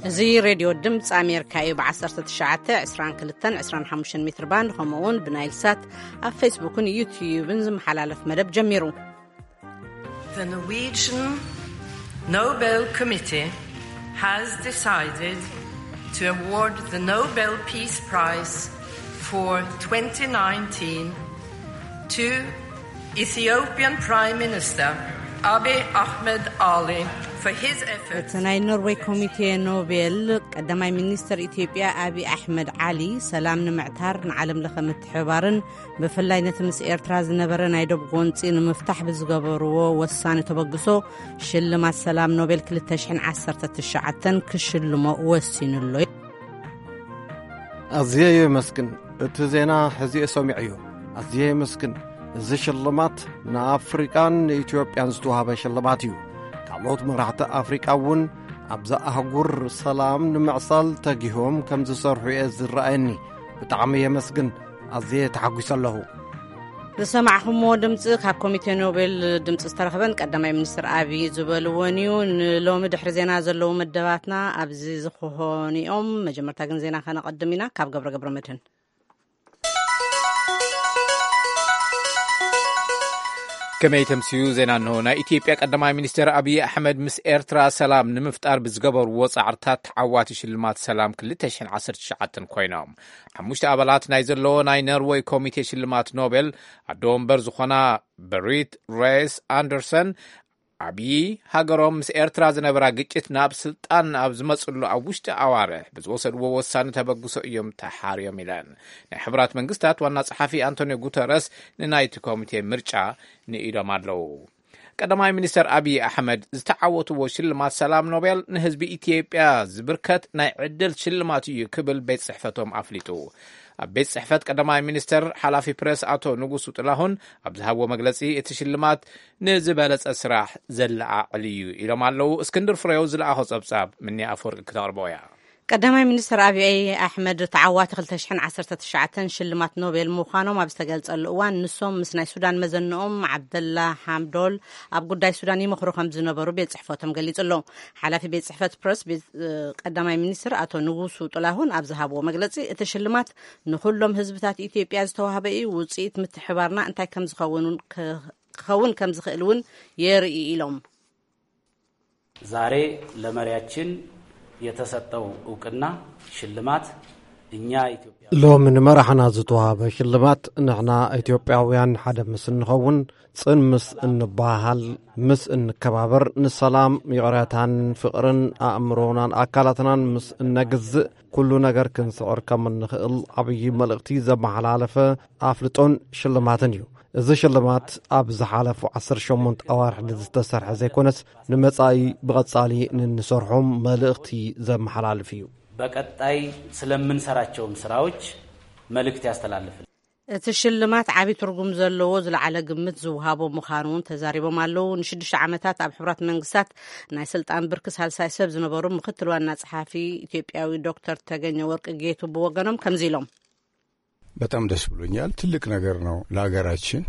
እዚ ሬድዮ ድምፂ ኣሜሪካ እዩ። ብ19፣ 22፣ 25 ሜትር ባንድ፣ ከምኡ እውን ብናይል ሳት ኣብ ፌስቡክን ዩትዩብን ዝመሓላለፍ መደብ ጀሚሩ። The Norwegian Nobel Committee has decided to award the Nobel Peace Prize for twenty nineteen to Ethiopian Prime Minister Abiy Ahmed Ali for his efforts. እቲ ናይ ኖርዌይ ኮሚቴ ኖቤል፣ ቀዳማይ ሚኒስተር ኢትዮጵያ ኣብይ ኣሕመድ ዓሊ፣ ሰላም ንምዕታር፣ ንዓለም ለኸ ምትሕብባርን ብፍላይ ነቲ ምስ ኤርትራ ዝነበረ ናይ ዶብ ጎንጺ ንምፍታሕ ብዝገበርዎ ወሳኒ ተበግሶ፣ ሽልማት ሰላም ኖቤል ክልተ ሽሕን ዓሰርተ ትሽዓተን ክሽልሞ ወሲኑሎ። ኣዝየ የመስግን። እቲ ዜና ሕዚ ሰሚዐዮ። ኣዝየ የመስግን። እዚ ሽልማት ንኣፍሪቃን ንኢትዮጵያን ዝተዋህበ ሽልማት እዩ። ካልኦት መራሕቲ ኣፍሪቃ እውን ኣብዛ ኣህጉር ሰላም ንምዕሳል ተጊሆም ከም ዝሰርሑ እየ ዝረኣየኒ። ብጣዕሚ የመስግን። ኣዝየ ተሓጒሰ ኣለኹ። ዝሰማዕኹምዎ ድምፂ ካብ ኮሚቴ ኖቤል ድምፂ ዝተረኽበን ቀዳማይ ሚኒስትር ኣብይ ዝበልዎን እዩ። ንሎሚ ድሕሪ ዜና ዘለዉ መደባትና ኣብዚ ዝኾኑ እዮም። መጀመርታ ግን ዜና ከነቐድም ኢና። ካብ ገብረ ገብረ መድህን። ከመይ ተምስዩ ዜና እንሆ። ናይ ኢትዮጵያ ቀዳማይ ሚኒስትር ኣብይ ኣሕመድ ምስ ኤርትራ ሰላም ንምፍጣር ብዝገበርዎ ጻዕርታት ተዓዋቲ ሽልማት ሰላም ክልተ ሽሕን ዓሰርተ ትሽዓተን ኮይኖም። ሓሙሽተ ኣባላት ናይ ዘለዎ ናይ ኖርወይ ኮሚቴ ሽልማት ኖቤል ኣዶ ወንበር ዝኾና በሪት ሬስ ኣንደርሰን፣ ኣብዪ ሃገሮም ምስ ኤርትራ ዝነበራ ግጭት ናብ ስልጣን ኣብ ዝመጽሉ ኣብ ውሽጢ ኣዋርሕ ብዝወሰድዎ ወሳኒ ተበግሶ እዮም ተሓርዮም ኢለን። ናይ ሕቡራት መንግስታት ዋና ጸሓፊ ኣንቶኒዮ ጉተረስ ንናይቲ ኮሚቴ ምርጫ ንኢዶም ኣለዉ። ቀዳማይ ሚኒስተር ኣብዪ ኣሕመድ ዝተዓወትዎ ሽልማት ሰላም ኖቤል ንህዝቢ ኢትዮጵያ ዝብርከት ናይ ዕድል ሽልማት እዩ ክብል ቤት ጽሕፈቶም ኣፍሊጡ። ኣብ ቤት ጽሕፈት ቀዳማይ ሚኒስተር ሓላፊ ፕረስ ኣቶ ንጉሱ ጥላሁን ኣብ ዝሃብዎ መግለጺ፣ እቲ ሽልማት ንዝበለጸ ስራሕ ዘለዓዕል እዩ ኢሎም ኣለዉ። እስክንድር ፍሬው ዝለኣኾ ጸብጻብ ምኒ ኣፈወርቂ ክተቕርቦ እያ። ቀዳማይ ሚኒስተር ኣብይ ኣሕመድ ተዓዋቲ ክልተ ሽሕን ዓሰርተ ትሽዓተን ሽልማት ኖቤል ምዃኖም ኣብ ዝተገልጸሉ እዋን፣ ንሶም ምስ ናይ ሱዳን መዘንኦም ዓብደላ ሓምዶል ኣብ ጉዳይ ሱዳን ይመኽሩ ከም ዝነበሩ ቤት ጽሕፈቶም ገሊጹ ኣሎ። ሓላፊ ቤት ጽሕፈት ፕረስ ቤት፣ እ፣ ቀዳማይ ሚኒስትር ኣቶ ንጉሱ ጥላሁን ኣብ ዝሃብዎ መግለጺ፣ እቲ ሽልማት ንኹሎም ህዝብታት ኢትዮጵያ ዝተዋህበ እዩ። ውጽኢት ምትሕባርና እንታይ ከም ዝኸውን እውን ክ-፣ ክኸውን ከም ዝኽእል እውን የርኢ ኢሎም። ዛሬ ለመሪያችን የተሰጠው እውቅና ሽልማት እኛ ኢትዮጵያ ሎሚ ንመራሕና ዝተዋህበ ሽልማት፣ ንሕና ኢትዮጵያውያን ሓደ ምስ እንኸውን፣ ጽን ምስ እንበሃል፣ ምስ እንከባበር፣ ንሰላም፣ ይቕረታን ፍቕርን ኣእምሮናን ኣካላትናን ምስ እነግዝእ፣ ኩሉ ነገር ክንስዕር ከም እንኽእል ዓብዪ መልእኽቲ ዘመሓላለፈ ኣፍልጦን ሽልማትን እዩ። እዚ ሽልማት ኣብ ዝሓለፉ ዓሰርተ ሸሞንተ ኣዋርሕ ንዝተሰርሐ ዘይኮነስ፣ ንመጻኢ ብቐጻሊ ንንሰርሖም መልእኽቲ ዘመሓላልፍ እዩ። በቀጣይ ስለምንሰራቸውም ስራዎች መልእክት ያስተላልፍል። እቲ ሽልማት ዓቢ ትርጉም ዘለዎ ዝለዓለ ግምት ዝወሃቦ ምዃኑ እውን ተዛሪቦም ኣለዉ። ንሽዱሽተ ዓመታት ኣብ ሕቡራት መንግስታት ናይ ስልጣን ብርኪ ሳልሳይ ሰብ ዝነበሩ ምክትል ዋና ጸሓፊ ኢትዮጵያዊ ዶክተር ተገኘ ወርቅ ጌቱ ብወገኖም ከምዚ ኢሎም። በጣም ደስ ብሎኛል። ትልቅ ነገር ነው ለሀገራችን።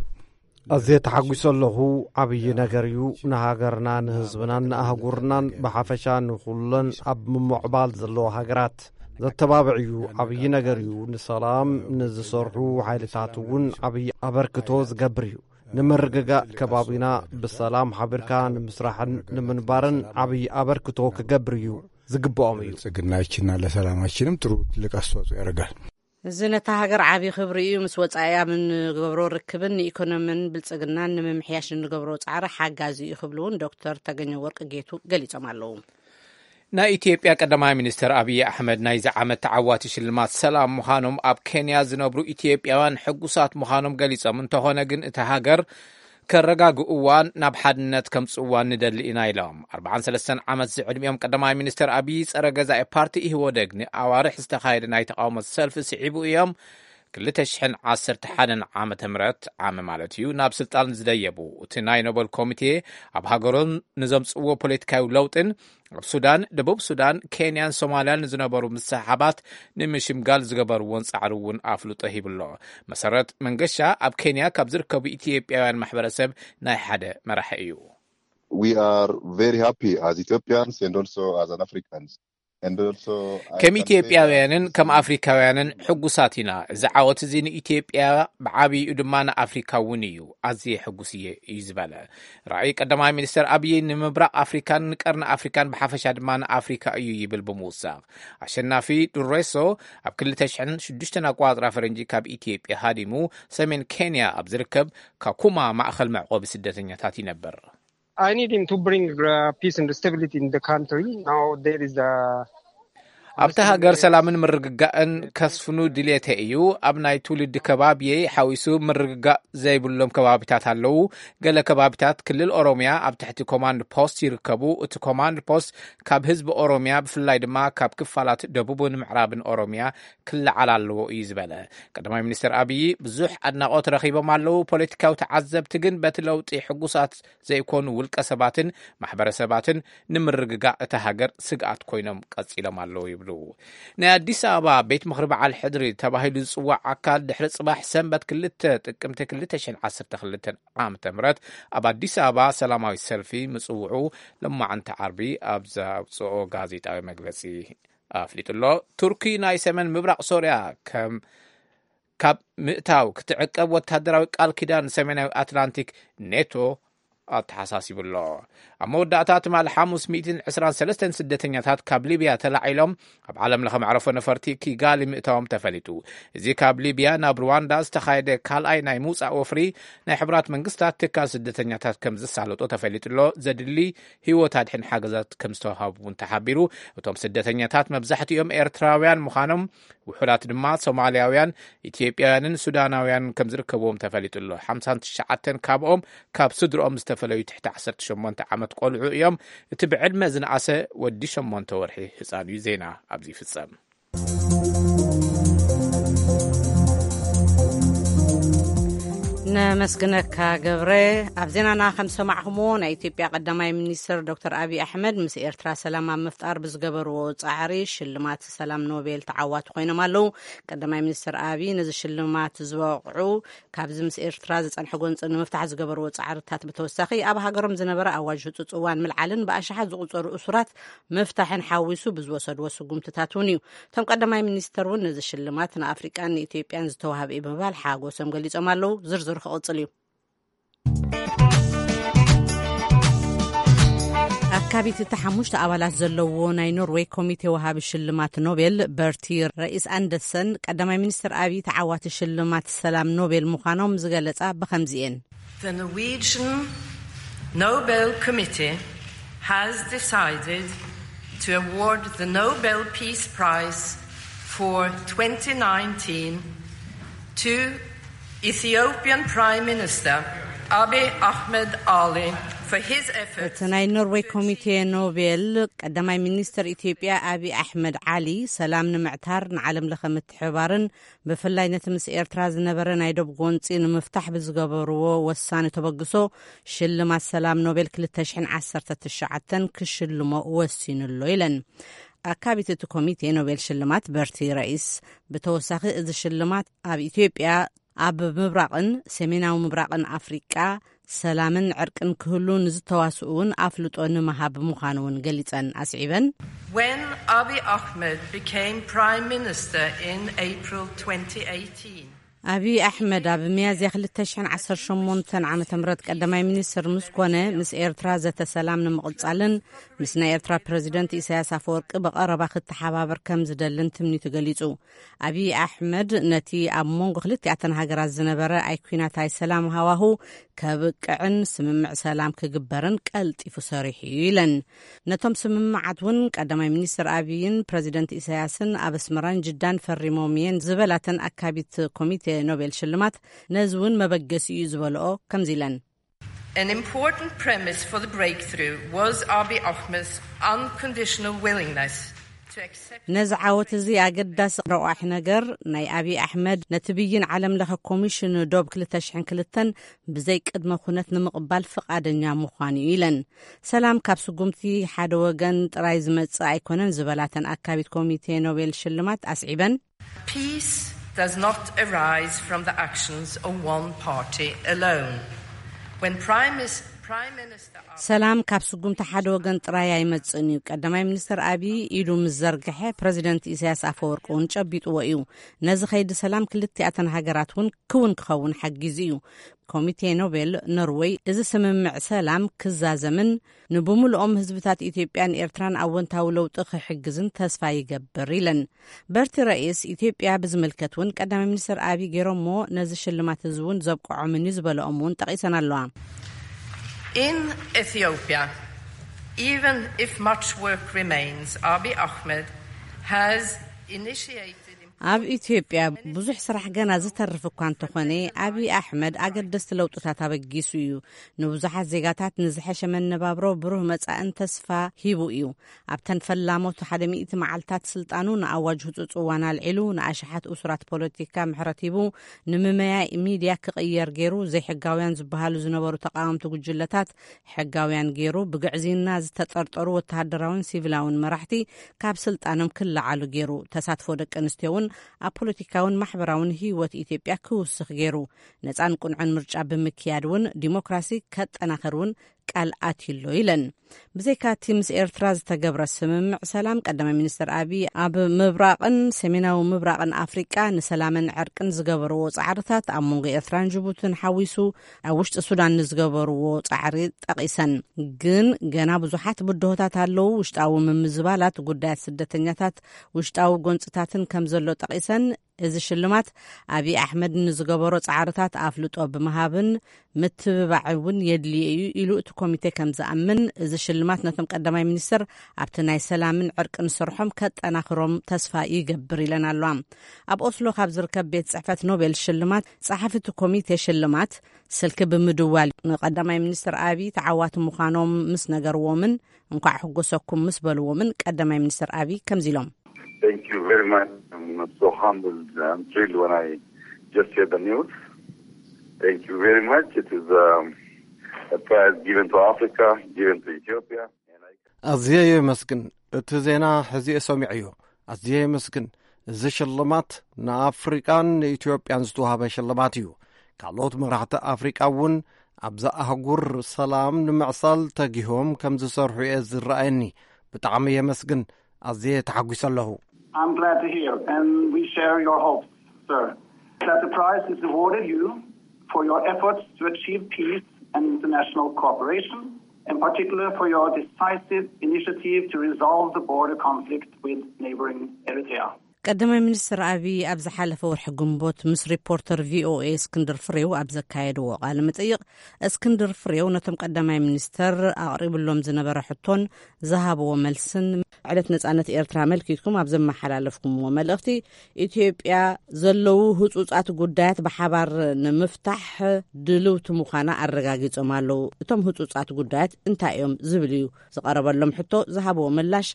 ኣዝየ ተሓጒሰ ኣለኹ። ዓብዪ ነገር እዩ። ንሃገርና፣ ንህዝብናን ንኣህጉርናን ብሓፈሻ ንኹለን ኣብ ምምዕባል ዘለዋ ሃገራት ዘተባብዕ እዩ። ዓብዪ ነገር እዩ። ንሰላም ንዝሰርሑ ሓይልታት እውን ዓብዪ ኣበርክቶ ዝገብር እዩ። ንምርግጋእ ከባቢና ብሰላም ሓቢርካ ንምስራሕን ንምንባርን ዓብዪ ኣበርክቶ ክገብር እዩ ዝግብኦም እዩ። ብልጽግናችንና ለሰላማችንም ጥሩ ትልቅ አስተዋጽኦ ያደርጋል። እዚ ነታ ሃገር ዓቢ ክብሪ እዩ። ምስ ወጻኢ ኣብ እንገብሮ ርክብን ንኢኮኖሚን ብልጽግናን ንምምሕያሽ እንገብሮ ጻዕሪ ሓጋዚ እዩ ክብሉ እውን ዶክተር ተገኘ ወርቅ ጌቱ ገሊጾም ኣለዉ። ናይ ኢትዮጵያ ቀዳማይ ሚኒስትር ኣብይ ኣሕመድ ናይዚ ዓመት ተዓዋቲ ሽልማት ሰላም ምዃኖም ኣብ ኬንያ ዝነብሩ ኢትዮጵያውያን ሕጉሳት ምዃኖም ገሊጾም፣ እንተኾነ ግን እታ ሃገር ከረጋግእዋን ናብ ሓድነት ከምጽእዋን ንደሊ ኢና ኢሎም። ኣርባዓን ሰለስተን ዓመት ዝዕድሚኦም ቀዳማይ ሚኒስትር ኣብይ ጸረ ገዛኢ ፓርቲ ኢህወደግ ንኣዋርሕ ዝተኻየደ ናይ ተቃውሞ ሰልፊ ስዒቡ እዮም ክልተ ሽሕን ዓሰርተ ሓደን ዓመተ ምህረት ዓመ ማለት እዩ ናብ ስልጣን ዝደየቡ። እቲ ናይ ኖበል ኮሚቴ ኣብ ሃገሮም ንዘምጽእዎ ፖለቲካዊ ለውጥን ኣብ ሱዳን፣ ደቡብ ሱዳን፣ ኬንያን ሶማልያን ንዝነበሩ ምስሕሓባት ንምሽምጋል ዝገበርዎን ጻዕሪ እውን ኣፍልጦ ሂብሎ። መሰረት መንገሻ ኣብ ኬንያ ካብ ዝርከቡ ኢትዮጵያውያን ማሕበረሰብ ናይ ሓደ መራሒ እዩ። We are very happy as Ethiopians and also as an Africans. And also, I ከም can say ኢትዮጵያውያንን that ከም ኣፍሪካውያንን ሕጉሳት ኢና። እዚ ዓወት እዚ ንኢትዮጵያ ብዓብይኡ ድማ ንኣፍሪካ እውን እዩ። ኣዝየ ሕጉስ እየ እዩ ዝበለ። ራእይ ቀዳማይ ሚኒስትር ኣብይ ንምብራቕ ኣፍሪካን ንቀርኒ ኣፍሪካን ብሓፈሻ ድማ ንኣፍሪካ እዩ ይብል ብምውሳኽ፣ ኣሸናፊ ዱሬሶ ኣብ ክልተ ሽሕን ሽዱሽተን ኣቆጻጽራ ፈረንጂ ካብ ኢትዮጵያ ሃዲሙ ሰሜን ኬንያ ኣብ ዝርከብ ካኩማ ማእኸል መዕቆቢ ስደተኛታት ይነብር። I need him to bring uh, peace and stability in the country. Now there is a ኣብቲ ሃገር ሰላምን ምርግጋእን ከስፍኑ ድሌተ እዩ። ኣብ ናይ ትውልዲ ከባቢየይ ሓዊሱ ምርግጋእ ዘይብሎም ከባቢታት ኣለዉ። ገለ ከባቢታት ክልል ኦሮሚያ ኣብ ትሕቲ ኮማንድ ፖስት ይርከቡ። እቲ ኮማንድ ፖስት ካብ ህዝቢ ኦሮሚያ፣ ብፍላይ ድማ ካብ ክፋላት ደቡብን ምዕራብን ኦሮሚያ ክለዓል ኣለዎ እዩ ዝበለ ቀዳማይ ሚኒስትር ኣብይ፣ ብዙሕ ኣድናቖት ረኺቦም ኣለዉ። ፖለቲካዊ ተዓዘብቲ ግን በቲ ለውጢ ሕጉሳት ዘይኮኑ ውልቀ ሰባትን ማሕበረሰባትን ንምርግጋእ እታ ሃገር ስግኣት ኮይኖም ቀጺሎም ኣለዉ ይብሉ። ናይ ኣዲስ ኣበባ ቤት ምኽሪ በዓል ሕድሪ ተባሂሉ ዝጽዋዕ ኣካል ድሕሪ ጽባሕ ሰንበት ክልተ ጥቅምቲ ክልተ ሽሕን ዓሰርተ ክልተን ዓመተ ምህረት ኣብ ኣዲስ ኣበባ ሰላማዊ ሰልፊ ምጽውዑ ሎማዕንቲ ዓርቢ ኣብ ዘውጽኦ ጋዜጣዊ መግለጺ ኣፍሊጡ ኣሎ። ቱርኪ ናይ ሰሜን ምብራቕ ሶርያ ከም ካብ ምእታው ክትዕቀብ ወታደራዊ ቃል ኪዳን ሰሜናዊ ኣትላንቲክ ኔቶ ኣተሓሳሲቡ ኣሎ። ኣብ መወዳእታ ትማሊ ሓሙስ ሚእትን ዕስራን ሰለስተን ስደተኛታት ካብ ሊብያ ተላዒሎም ኣብ ዓለም ለኸ መዕረፎ ነፈርቲ ኪጋሊ ምእታዎም ተፈሊጡ። እዚ ካብ ሊብያ ናብ ሩዋንዳ ዝተኻየደ ካልኣይ ናይ ምውጻእ ወፍሪ ናይ ሕቡራት መንግስታት ትካል ስደተኛታት ከም ዝሳለጦ ተፈሊጡ ኣሎ። ዘድሊ ህይወት ኣድሕን ሓገዛት ከም ዝተዋሃቡ እውን ተሓቢሩ። እቶም ስደተኛታት መብዛሕትኦም ኤርትራውያን ምዃኖም፣ ውሑዳት ድማ ሶማልያውያን፣ ኢትዮጵያውያንን ሱዳናውያን ከም ዝርከብዎም ተፈሊጡ ኣሎ። ሓምሳን ትሽዓተን ካብኦም ካብ ስድርኦም ዝተፈለዩ ትሕቲ ዓሰርተ ሸሞንተ ዓመት ቆልዑ እዮም። እቲ ብዕድመ ዝነኣሰ ወዲ ሸሞንተ ወርሒ ህፃን እዩ። ዜና ኣብዚ ይፍጸም። ነመስግነካ ገብረ። ኣብ ዜናና ከም ዝሰማዕኹምዎ፣ ናይ ኢትዮጵያ ቀዳማይ ሚኒስትር ዶክተር ኣብይ ኣሕመድ ምስ ኤርትራ ሰላም ኣብ ምፍጣር ብዝገበርዎ ጻዕሪ ሽልማት ሰላም ኖቤል ተዓዋቲ ኮይኖም ኣለዉ። ቀዳማይ ሚኒስትር ኣብይ ነዚ ሽልማት ዝበቕዑ ካብዚ ምስ ኤርትራ ዝጸንሐ ጎንጺ ንምፍታሕ ዝገበርዎ ጻዕርታት ብተወሳኺ ኣብ ሃገሮም ዝነበረ ኣዋጅ ህጹጽ እዋን ምልዓልን ብኣሽሓት ዝቑጸሩ እሱራት ምፍታሕን ሓዊሱ ብዝወሰድዎ ስጉምትታት እውን እዩ። እቶም ቀዳማይ ሚኒስተር እውን ነዚ ሽልማት ንኣፍሪቃን ንኢትዮጵያን ዝተዋህበ እዩ ብምባል ሓጎሶም ገሊጾም ኣለዉ። ዝርዝሩ ክቕጽል እዩ። ኣካቢት እቲ ሓሙሽተ ኣባላት ዘለዎ ናይ ኖርዌይ ኮሚቴ ወሃቢ ሽልማት ኖቤል በርቲ ረኢስ ኣንደርሰን ቀዳማይ ሚኒስትር ኣብይ ተዓዋቲ ሽልማት ሰላም ኖቤል ምዃኖም ዝገለጻ ብኸምዚ እየን። The Norwegian Nobel Committee has decided to award the Nobel Peace Prize for twenty nineteen to Ethiopian Prime Minister Abiy Ahmed Ali for his efforts እቲ ናይ ኖርዌይ ኮሚቴ ኖቤል ቀዳማይ ሚኒስትር ኢትዮጵያ ኣብይ ኣሕመድ ዓሊ ሰላም ንምዕታር ንዓለም ለኸ ምትሕባርን ብፍላይ ነቲ ምስ ኤርትራ ዝነበረ ናይ ዶብ ጎንጺ ንምፍታሕ ብዝገበርዎ ወሳኒ ተበግሶ ሽልማት ሰላም ኖቤል ክልተ ሽሕን ዓሰርተ ትሽዓተን ክሽልሞ ወሲኑ ኣሎ ኢለን። ኣካቢት እቲ ኮሚቴ ኖቤል ሽልማት በርቲ ረኢስ ብተወሳኺ እዚ ሽልማት ኣብ ኢትዮጵያ ኣብ ምብራቕን ሰሜናዊ ምብራቕን ኣፍሪቃ ሰላምን ዕርቅን ክህሉ ንዝተዋስኡ እውን ኣፍልጦ ንምሃብ ምዃኑ እውን ገሊጸን ኣስዒበን። When Abiy Ahmed became Prime Minister in April twenty eighteen, ኣብይ ኣሕመድ ኣብ ሚያዝያ ክልተ ሽሕን ዓሰርተ ሸሞንተን ዓመተ ምህረት ቀዳማይ ሚኒስትር ምስ ኮነ ምስ ኤርትራ ዘተ ሰላም ንምቕጻልን ምስ ናይ ኤርትራ ፕረዚደንት ኢሳያስ ኣፈወርቂ ብቐረባ ክተሓባበር ከም ዝደልን ትምኒቱ ገሊጹ። ኣብይ ኣሕመድ ነቲ ኣብ መንጎ ክልቲኣተን ሃገራት ዝነበረ ኣይኩናት ኣይሰላም ሃዋሁ ከብቅዕን ስምምዕ ሰላም ክግበርን ቀልጢፉ ሰሪሑ እዩ ኢለን። ነቶም ስምምዓት እውን ቀዳማይ ሚኒስትር ኣብይን ፕረዚደንት ኢሳያስን ኣብ ኣስመራን ጅዳን ፈሪሞም እየን ዝበላተን ኣካቢት ኮሚቴ ኖቤል ሽልማት ነዚ እውን መበገሲ እዩ ዝበልኦ ከምዚ ኢለን። An important premise for the breakthrough was Abiy Ahmed's unconditional willingness to accept ነዚ ዓወት እዚ ኣገዳሲ ረቋሒ ነገር ናይ ኣብይ ኣሕመድ ነቲ ብይን ዓለም ለኸ ኮሚሽን ዶብ ክልተ ሽሕን ክልተን ብዘይ ቅድመ ኩነት ንምቕባል ፍቓደኛ ምዃኑ እዩ ኢለን። ሰላም ካብ ስጉምቲ ሓደ ወገን ጥራይ ዝመጽእ ኣይኮነን ዝበላተን ኣካቢት ኮሚቴ ኖቤል ሽልማት ኣስዒበን። Peace does not arise from the actions of one party alone. When Prime Mis- ሰላም ካብ ስጉምቲ ሓደ ወገን ጥራይ ኣይመጽእን እዩ። ቀዳማይ ሚኒስትር ኣብይ ኢዱ ምስ ዘርግሐ፣ ፕረዚደንት ኢሳያስ ኣፈወርቂ እውን ጨቢጥዎ እዩ። ነዚ ከይዲ ሰላም ክልቲኣተን ሃገራት እውን ክውን ክኸውን ሓጊዙ እዩ። ኮሚቴ ኖቤል ኖርወይ፣ እዚ ስምምዕ ሰላም ክዛዘምን ንብምልኦም ህዝብታት ኢትዮጵያን ኤርትራን ኣወንታዊ ለውጢ ክሕግዝን ተስፋ ይገብር ኢለን። በርቲ ረኢስ ኢትዮጵያ ብዝምልከት እውን ቀዳማይ ሚኒስትር ኣብይ ገይሮሞ፣ ነዚ ሽልማት እዚ እውን ዘብቅዖምን እዩ ዝበለኦም እውን ጠቒሰን ኣለዋ። In Ethiopia, even if much work remains, Abiy Ahmed has initiated ኣብ ኢትዮጵያ ብዙሕ ስራሕ ገና ዝተርፍ እኳ እንተኾነ፣ ኣብይ ኣሕመድ ኣገደስቲ ለውጥታት ኣበጊሱ እዩ። ንብዙሓት ዜጋታት ንዝሐሸ መነባብሮ፣ ብሩህ መጻእን ተስፋ ሂቡ እዩ። ኣብተን ፈላሞት ሓደ ሚእቲ መዓልታት ስልጣኑ ንኣዋጅ ህጹጽ እዋን ኣልዒሉ፣ ንኣሽሓት እሱራት ፖለቲካ ምሕረት ሂቡ፣ ንምመያ ሚድያ ክቕየር ገይሩ፣ ዘይሕጋውያን ዝበሃሉ ዝነበሩ ተቃወምቲ ጉጅለታት ሕጋውያን ገይሩ፣ ብግዕዝይና ዝተጠርጠሩ ወተሃደራውን ሲቪላውን መራሕቲ ካብ ስልጣኖም ክለዓሉ ገይሩ፣ ተሳትፎ ደቂ ኣንስትዮ እውን ኣብ ፖለቲካውን ማሕበራውን ህይወት ኢትዮጵያ ክውስኽ ገይሩ፣ ነጻን ቁንዑን ምርጫ ብምክያድ እውን ዲሞክራሲ ከጠናኽር እውን ቃል ኣትዩሎ ኢለን። ብዘይካቲ ምስ ኤርትራ ዝተገብረ ስምምዕ ሰላም፣ ቀዳማይ ሚኒስትር ኣብይ ኣብ ምብራቕን ሰሜናዊ ምብራቕን ኣፍሪቃ ንሰላምን ዕርቅን ዝገበርዎ ጻዕርታት፣ ኣብ መንጎ ኤርትራን ጅቡትን ሓዊሱ ኣብ ውሽጢ ሱዳን ንዝገበርዎ ጻዕሪ ጠቒሰን። ግን ገና ብዙሓት ብድሆታት ኣለዉ። ውሽጣዊ ምምዝባላት፣ ጉዳያት ስደተኛታት፣ ውሽጣዊ ጎንጽታትን ከም ዘሎ ጠቒሰን፣ እዚ ሽልማት ኣብይ ኣሕመድ ንዝገበሮ ጻዕርታት ኣፍልጦ ብምሃብን ምትብባዕ እውን የድልዮ እዩ ኢሉ እቲ ኮሚቴ ከም ዝኣምን፣ እዚ ሽልማት ነቶም ቀዳማይ ሚኒስትር ኣብቲ ናይ ሰላምን ዕርቅን ስርሖም ከጠናኽሮም ተስፋ ይገብር ኢለን ኣለዋ። ኣብ ኦስሎ ካብ ዝርከብ ቤት ጽሕፈት ኖቤል ሽልማት ጸሓፊ እቲ ኮሚቴ ሽልማት ስልኪ ብምድዋል ንቀዳማይ ሚኒስትር ኣብይ ተዓዋቲ ምዃኖም ምስ ነገርዎምን እንኳዕ ሕጎሰኩም ምስ በልዎምን ቀዳማይ ሚኒስትር ኣብይ ከምዚ ኢሎም። Thank you very much. I'm so humbled. I'm thrilled when I just hear the news. Thank you very much. It is um, a prize given to Africa, given to Ethiopia. And I ኣዝየ የመስግን። እቲ ዜና ሕዚ ሰሚዐዮ። ኣዝየ የመስግን። እዚ ሽልማት ንኣፍሪቃን ንኢትዮጵያን ዝተዋህበ ሽልማት እዩ። ካልኦት መራሕቲ ኣፍሪቃ እውን ኣብዛ ኣህጉር ሰላም ንምዕሳል ተጊሆም ከም ዝሰርሑ እየ ዝረኣየኒ። ብጣዕሚ የመስግን። ኣዝየ ተሓጒሰ ኣለኹ። I'm glad to hear, and we share your hopes, sir, that the prize is awarded you for your efforts to achieve peace and international cooperation, in particular for your decisive initiative to resolve the border conflict with neighboring Eritrea. ቀዳማይ ሚኒስትር ኣብይ ኣብ ዝሓለፈ ወርሒ ግንቦት ምስ ሪፖርተር ቪኦኤ እስክንድር ፍሬው ኣብ ዘካየድዎ ቃለ መጠይቕ፣ እስክንድር ፍሬው ነቶም ቀዳማይ ሚኒስተር ኣቕሪብሎም ዝነበረ ሕቶን ዝሃብዎ መልስን፣ ዕለት ነጻነት ኤርትራ ኣመልኪትኩም ኣብ ዘመሓላለፍኩምዎ መልእኽቲ፣ ኢትዮጵያ ዘለዉ ህጹጻት ጉዳያት ብሓባር ንምፍታሕ ድልውቲ ምዃና ኣረጋጊጾም ኣለዉ። እቶም ህጹጻት ጉዳያት እንታይ እዮም ዝብል እዩ ዝቐረበሎም ሕቶ ዝሃብዎ ምላሽ።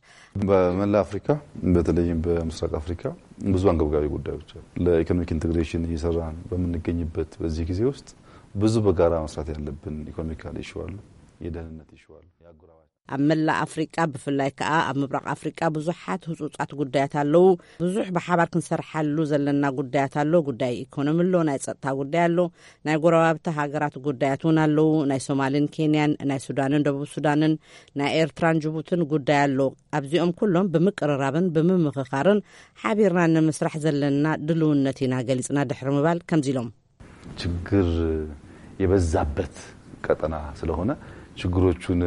በመላ አፍሪካ፣ በተለይም በምስራቅ አፍሪካ ብዙ አንገብጋቢ ጉዳዮች አሉ። ለኢኮኖሚክ ኢንቴግሬሽን እየሰራን በምንገኝበት በዚህ ጊዜ ውስጥ ብዙ በጋራ መስራት ያለብን ኢኮኖሚካል ኢሹ አሉ፣ የደህንነት ኢሹ አሉ፣ የአጎራባች ኣብ መላእ ኣፍሪቃ፣ ብፍላይ ከኣ ኣብ ምብራቕ ኣፍሪቃ ብዙሓት ህጹጻት ጉዳያት ኣለዉ። ብዙሕ ብሓባር ክንሰርሓሉ ዘለና ጉዳያት ኣሎ። ጉዳይ ኢኮኖሚ ኣሎ፣ ናይ ጸጥታ ጉዳይ ኣሎ፣ ናይ ጎረባብቲ ሃገራት ጉዳያት እውን ኣለዉ። ናይ ሶማልን ኬንያን፣ ናይ ሱዳንን ደቡብ ሱዳንን፣ ናይ ኤርትራን ጅቡትን ጉዳይ ኣሎ። ኣብዚኦም ኩሎም ብምቅርራብን ብምምኽኻርን ሓቢርና ንምስራሕ ዘለና ድልውነት ኢና ገሊጽና ድሕሪ ምባል ከምዚ ኢሎም። ችግር የበዛበት ቀጠና ስለሆነ ችግሮቹን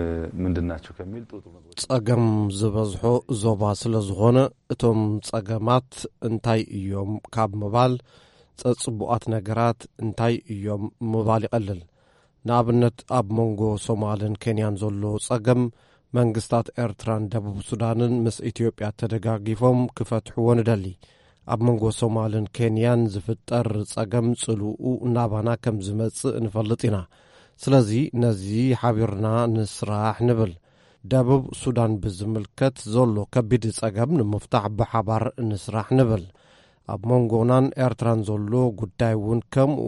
ምንድን ናቸው ከሚል ጥሩ ጥሩ ነገሮች ጸገም ዝበዝሖ ዞባ ስለ ዝኾነ እቶም ጸገማት እንታይ እዮም ካብ ምባል ጸጽቡኣት ነገራት እንታይ እዮም ምባል ይቐልል። ንኣብነት ኣብ መንጎ ሶማልን ኬንያን ዘሎ ጸገም መንግስታት ኤርትራን ደቡብ ሱዳንን ምስ ኢትዮጵያ ተደጋጊፎም ክፈትሕዎ ንደሊ። ኣብ መንጎ ሶማልን ኬንያን ዝፍጠር ጸገም ጽልኡ ናባና ከም ዝመጽእ ንፈልጥ ኢና። ስለዚ ነዚ ሓቢርና ንስራሕ ንብል። ደቡብ ሱዳን ብዝምልከት ዘሎ ከቢድ ጸገም ንምፍታሕ ብሓባር ንስራሕ ንብል። ኣብ መንጎናን ኤርትራን ዘሎ ጉዳይ እውን ከምኡ፣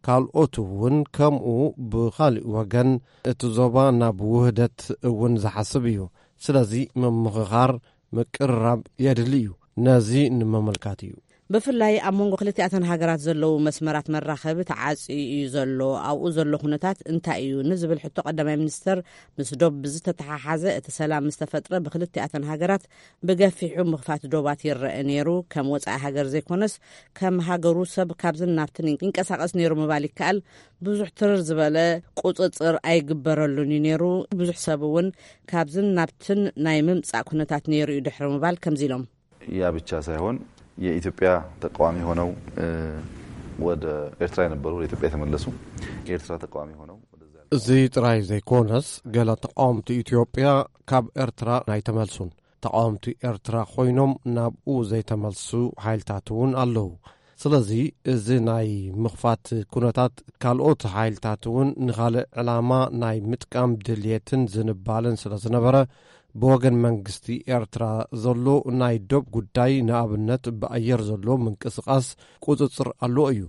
ካልኦት እውን ከምኡ። ብኻሊእ ወገን እቲ ዞባ ናብ ውህደት እውን ዝሓስብ እዩ። ስለዚ ምምኽኻር፣ ምቅርራብ የድሊ እዩ። ነዚ ንምምልካት እዩ። ብፍላይ ኣብ መንጎ ክልቲኣተን ሃገራት ዘለዉ መስመራት መራኸቢ ተዓጽዩ እዩ ዘሎ። ኣብኡ ዘሎ ኩነታት እንታይ እዩ ንዝብል ሕቶ ቀዳማይ ሚኒስተር፣ ምስ ዶብ ብዝተተሓሓዘ እቲ ሰላም ምስ ተፈጥረ ብክልቲኣተን ሃገራት ብገፊሑ ምኽፋት ዶባት ይረአ ነይሩ። ከም ወጻኢ ሃገር ዘይኮነስ ከም ሃገሩ ሰብ ካብዝን ናብትን ይንቀሳቐስ ነይሩ ምባል ይከኣል። ብዙሕ ትርር ዝበለ ቁጽጽር ኣይግበረሉን እዩ ነይሩ። ብዙሕ ሰብ እውን ካብዝን ናብትን ናይ ምምጻእ ኩነታት ነይሩ እዩ ድሕሪ ምባል ከምዚ ኢሎም። ያ ብቻ ሳይሆን የኢትዮጵያ ተቃዋሚ ሆነው ወደ ኤርትራ የነበሩ ወደ ኢትዮጵያ የተመለሱ የኤርትራ ተቃዋሚ ሆነው እዚ ጥራይ ዘይኮነስ ገለ ተቃወምቲ ኢትዮጵያ ካብ ኤርትራ ኣይተመልሱን። ተቃወምቲ ኤርትራ ኮይኖም ናብኡ ዘይተመልሱ ሓይልታት እውን ኣለዉ። ስለዚ እዚ ናይ ምኽፋት ኩነታት ካልኦት ሓይልታት እውን ንኻልእ ዕላማ ናይ ምጥቃም ድልየትን ዝንባለን ስለ ዝነበረ ብወገን መንግስቲ ኤርትራ ዘሎ ናይ ዶብ ጉዳይ ንኣብነት ብኣየር ዘሎ ምንቅስቃስ ቁጽጽር ኣለዎ እዩ።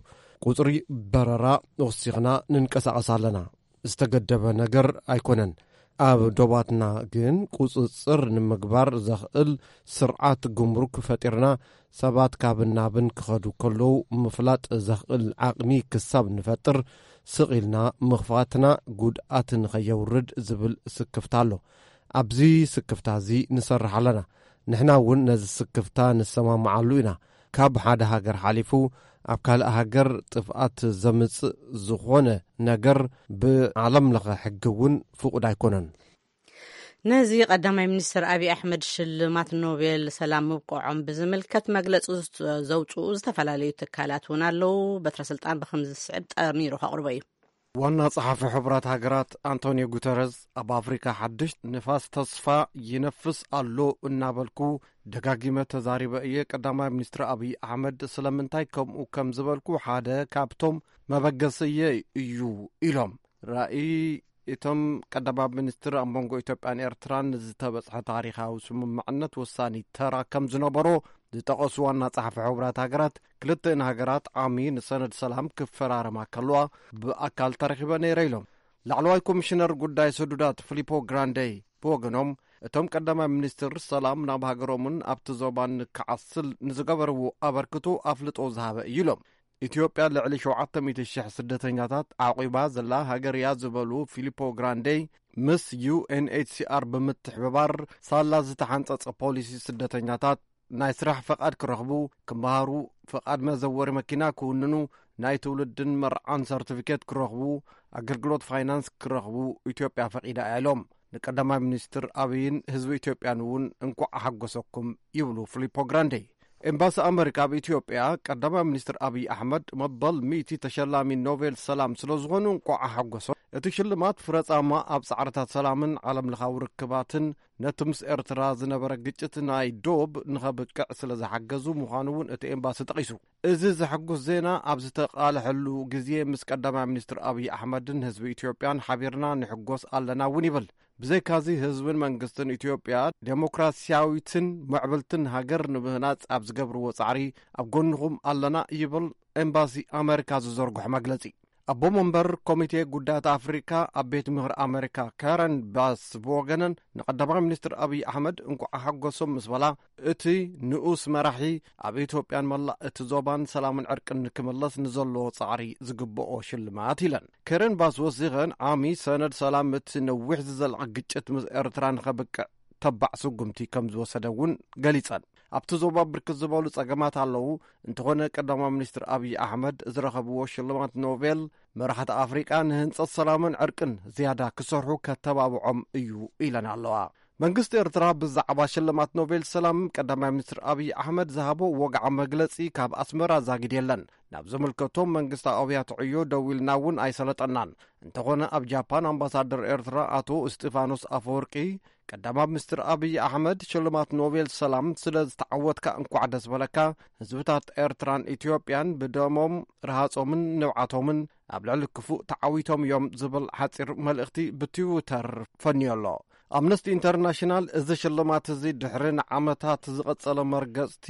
ቁጽሪ በረራ ወሲኽና ንንቀሳቐስ ኣለና። ዝተገደበ ነገር ኣይኮነን። ኣብ ዶባትና ግን ቁጽጽር ንምግባር ዘኽእል ስርዓት ጉምሩክ ፈጢርና ሰባት ካብን ናብን ክኸዱ ከለዉ ምፍላጥ ዘኽእል ዓቕሚ ክሳብ ንፈጥር ስቕ ኢልና ምኽፋትና ጉድኣት ንኸየውርድ ዝብል ስክፍታ ኣሎ። ኣብዚ ስክፍታ እዚ ንሰርሕ ኣለና። ንሕና እውን ነዚ ስክፍታ ንሰማምዓሉ ኢና። ካብ ሓደ ሃገር ሓሊፉ ኣብ ካልእ ሃገር ጥፍኣት ዘምጽእ ዝኾነ ነገር ብዓለም ለኸ ሕጊ እውን ፍቑድ ኣይኮነን። ነዚ ቀዳማይ ሚኒስትር ኣብይ ኣሕመድ ሽልማት ኖቤል ሰላም ምብቅዖም ብዝምልከት መግለጺ ዘውፅኡ ዝተፈላለዩ ትካላት እውን ኣለዉ። በትረ ስልጣን ብከምዚ ዝስዕብ ጠሚሩ ከቕርቦ እዩ። ዋና ጸሓፊ ሕቡራት ሃገራት ኣንቶኒዮ ጉተረዝ ኣብ ኣፍሪካ ሓድሽ ንፋስ ተስፋ ይነፍስ ኣሎ እናበልኩ ደጋጊመ ተዛሪበ እየ። ቀዳማይ ሚኒስትር ኣብይ ኣሕመድ ስለምንታይ ከምኡ ከም ዝበልኩ ሓደ ካብቶም መበገስየ እዩ ኢሎም። ራእይ እቶም ቀዳማይ ሚኒስትር ኣብ መንጎ ኢትዮጵያን ኤርትራን ዝተበጽሐ ታሪኻዊ ስምምዕነት ወሳኒ ተራ ከም ዝነበሮ ዝጠቐሱ ዋና ጸሓፊ ሕቡራት ሃገራት፣ ክልተን ሃገራት ዓሚ ንሰነድ ሰላም ክፈራረማ ከለዋ ብኣካል ተረኺበ ነይረ ኢሎም። ላዕለዋይ ኮሚሽነር ጉዳይ ስዱዳት ፊሊፖ ግራንዴ ብወገኖም፣ እቶም ቀዳማይ ሚኒስትር ሰላም ናብ ሃገሮምን ኣብቲ ዞባን ክዓስል ንዝገበርዎ ኣበርክቶ ኣፍልጦ ዝሃበ እዩ ኢሎም። ኢትዮጵያ ልዕሊ ሸውዓተ ሚእቲ ሽሕ ስደተኛታት ዓቂባ ዘላ ሃገር እያ ዝበሉ ፊሊፖ ግራንዴ፣ ምስ ዩ ኤን ኤች ሲ ኣር ብምትሕብባር ሳላ ዝተሓንጸጸ ፖሊሲ ስደተኛታት ናይ ስራሕ ፈቓድ ክረኽቡ፣ ክመሃሩ፣ ፈቓድ መዘወሪ መኪና ክውንኑ፣ ናይ ትውልድን መርዓን ሰርቲፊኬት ክረኽቡ፣ ኣገልግሎት ፋይናንስ ክረኽቡ ኢትዮጵያ ፈቒዳ እያ ኢሎም። ንቀዳማይ ሚኒስትር ኣብይን ህዝቢ ኢትዮጵያን እውን እንኳዕ ሓጎሰኩም ይብሉ ፊሊፖ ግራንዴ። ኤምባሲ ኣመሪካ ኣብ ኢትዮጵያ ቀዳማይ ሚኒስትር ኣብይ ኣሕመድ መበል ሚእቲ ተሸላሚ ኖቤል ሰላም ስለ ዝኾኑ እንኳዕ ሓጎሶም። እቲ ሽልማት ፍረጻማ ኣብ ጻዕርታት ሰላምን ዓለም ለኻዊ ርክባትን ነቲ ምስ ኤርትራ ዝነበረ ግጭት ናይ ዶብ ንኸብቅዕ ስለ ዝሓገዙ ምዃኑ እውን እቲ ኤምባሲ ጠቒሱ። እዚ ዘሐጉስ ዜና ኣብ ዝተቓልሐሉ ግዜ ምስ ቀዳማይ ሚኒስትር ኣብይ ኣሕመድን ህዝቢ ኢትዮጵያን ሓቢርና ንሕጎስ ኣለና እውን ይብል። ብዘይካዚ ህዝብን መንግስትን ኢትዮጵያ ዴሞክራሲያዊትን ምዕብልትን ሃገር ንምህናጽ ኣብ ዝገብርዎ ጻዕሪ ኣብ ጎንኹም ኣለና ይብል ኤምባሲ ኣመሪካ ዝዘርግሖ መግለጺ። ኣቦ መንበር ኮሚቴ ጉዳያት ኣፍሪካ ኣብ ቤት ምኽሪ ኣመሪካ ካረን ባስ ብወገነን ንቀዳማይ ሚኒስትር ኣብይ ኣሕመድ እንኳዕ ሓጎሶም ምስ በላ፣ እቲ ንኡስ መራሒ ኣብ ኢትዮጵያን መላእ እቲ ዞባን ሰላምን ዕርቅን ንክምለስ ንዘለዎ ጻዕሪ ዝግብኦ ሽልማት ኢለን። ከረን ባስ ወሲኸን ዓሚ ሰነድ ሰላም እቲ ነዊሕ ዝዘልዐ ግጭት ምስ ኤርትራ ንኸብቅዕ ተባዕ ስጉምቲ ከም ዝወሰደ እውን ገሊጸን። ኣብቲ ዞባ ብርክት ዝበሉ ጸገማት ኣለዉ። እንተኾነ ቀዳማይ ሚኒስትር ኣብይ ኣሕመድ ዝረኸብዎ ሽልማት ኖቤል መራሕቲ ኣፍሪቃ ንህንጸት ሰላምን ዕርቅን ዝያዳ ክሰርሑ ከተባብዖም እዩ ኢለን ኣለዋ። መንግስቲ ኤርትራ ብዛዕባ ሽልማት ኖቤል ሰላም ቀዳማይ ሚኒስትር ኣብይ ኣሕመድ ዝሃቦ ወግዓዊ መግለጺ ካብ ኣስመራ ዛጊድ የለን። ናብ ዝምልከቶም መንግስታዊ ኣብያተ ዕዮ ደዊልና እውን ኣይሰለጠናን። እንተኾነ ኣብ ጃፓን ኣምባሳደር ኤርትራ ኣቶ እስጢፋኖስ ኣፈወርቂ ቀዳማይ ሚኒስትር ኣብይ ኣሕመድ ሽልማት ኖቤል ሰላም ስለ ዝተዓወትካ እንኳዕ ደስ በለካ፣ ህዝብታት ኤርትራን ኢትዮጵያን ብደሞም ረሃጾምን ንብዓቶምን ኣብ ልዕሊ ክፉእ ተዓዊቶም እዮም ዝብል ሓጺር መልእኽቲ ብትዊተር ፈንዮ ኣሎ። ኣምነስቲ ኢንተርናሽናል እዚ ሽልማት እዚ ድሕሪ ንዓመታት ዝቐጸለ መርገጽቲ